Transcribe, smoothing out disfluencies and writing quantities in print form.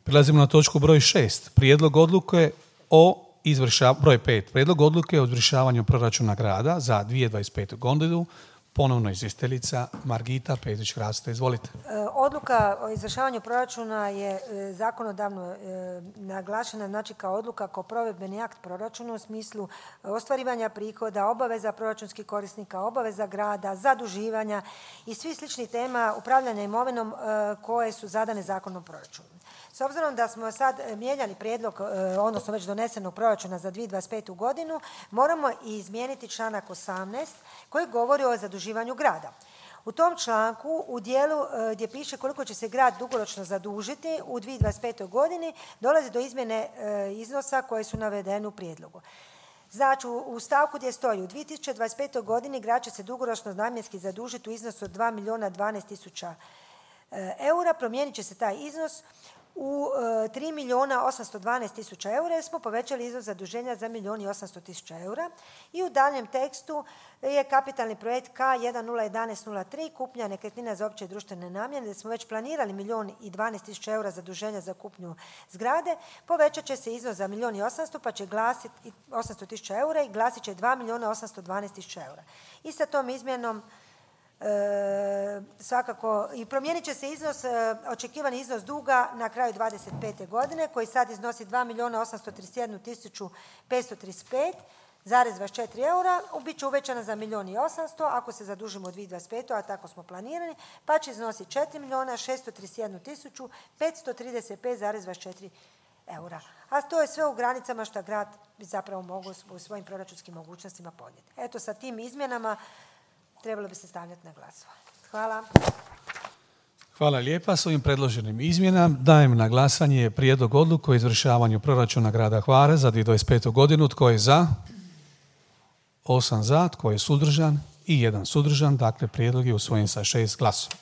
Prelazimo na točku broj 6. Prijedlog odluke broj 5. Prijedlog odluke o izvršavanju proračuna grada za 2025. godinu. Ponovno izvjestiteljica Margita Petrić-Hrasta. Izvolite. Odluka o izvršavanju proračuna je zakonodavno naglašena, znači kao odluka, kao provedbeni akt proračuna u smislu ostvarivanja prihoda, obaveza proračunskih korisnika, obaveza grada, zaduživanja i svi slični tema upravljanja imovinom koje su zadane Zakonom o proračunu. S obzirom da smo sad mijenjali prijedlog, odnosno već donesenog proračuna za 2025. godinu, moramo i izmijeniti članak 18 koji govori o zaduživanju grada. U tom članku, u dijelu gdje piše koliko će se grad dugoročno zadužiti u 2025. godini, dolazi do izmjene iznosa koje su navedene u prijedlogu. Znači, u stavku gdje stoji u 2025. godini grad će se dugoročno namjenski zadužiti u iznosu od 2.012.000 eura, promijenit će se taj iznos u 3.812.000 eura jer smo povećali iznos zaduženja za 1.800.000 eura i u daljem tekstu je kapitalni projekt K101103 kupnja nekretnina za opće društvene namjene gdje smo već planirali 1.012.000 eura zaduženja za kupnju zgrade, povećat će se iznos za 1.800.000 pa će glasiti 800.000 eura i glasit će 2.812.000 eura. I sa tom izmjenom svakako i promijenit će se iznos, očekivani iznos duga na kraju 2025. godine koji sad iznosi 2.831.535,24 eura, bit će uvećana za 1.800.000 ako se zadužimo u 2025. a tako smo planirani, pa će iznositi 4.631.535,24 eura. A to je sve u granicama što grad bi zapravo mogao u svojim proračunskim mogućnostima podnijeti. Eto, sa tim izmjenama trebalo bi se stavljati na glasovanje. Hvala. Hvala lijepa. S ovim predloženim izmjenama dajem na glasanje prijedlog odluke o izvršavanju proračuna grada Hvara za 2025. godinu. Tko je za? 8 za. Tko je suzdržan? I 1 suzdržan. Dakle, prijedlog je usvojen sa 6 glasova.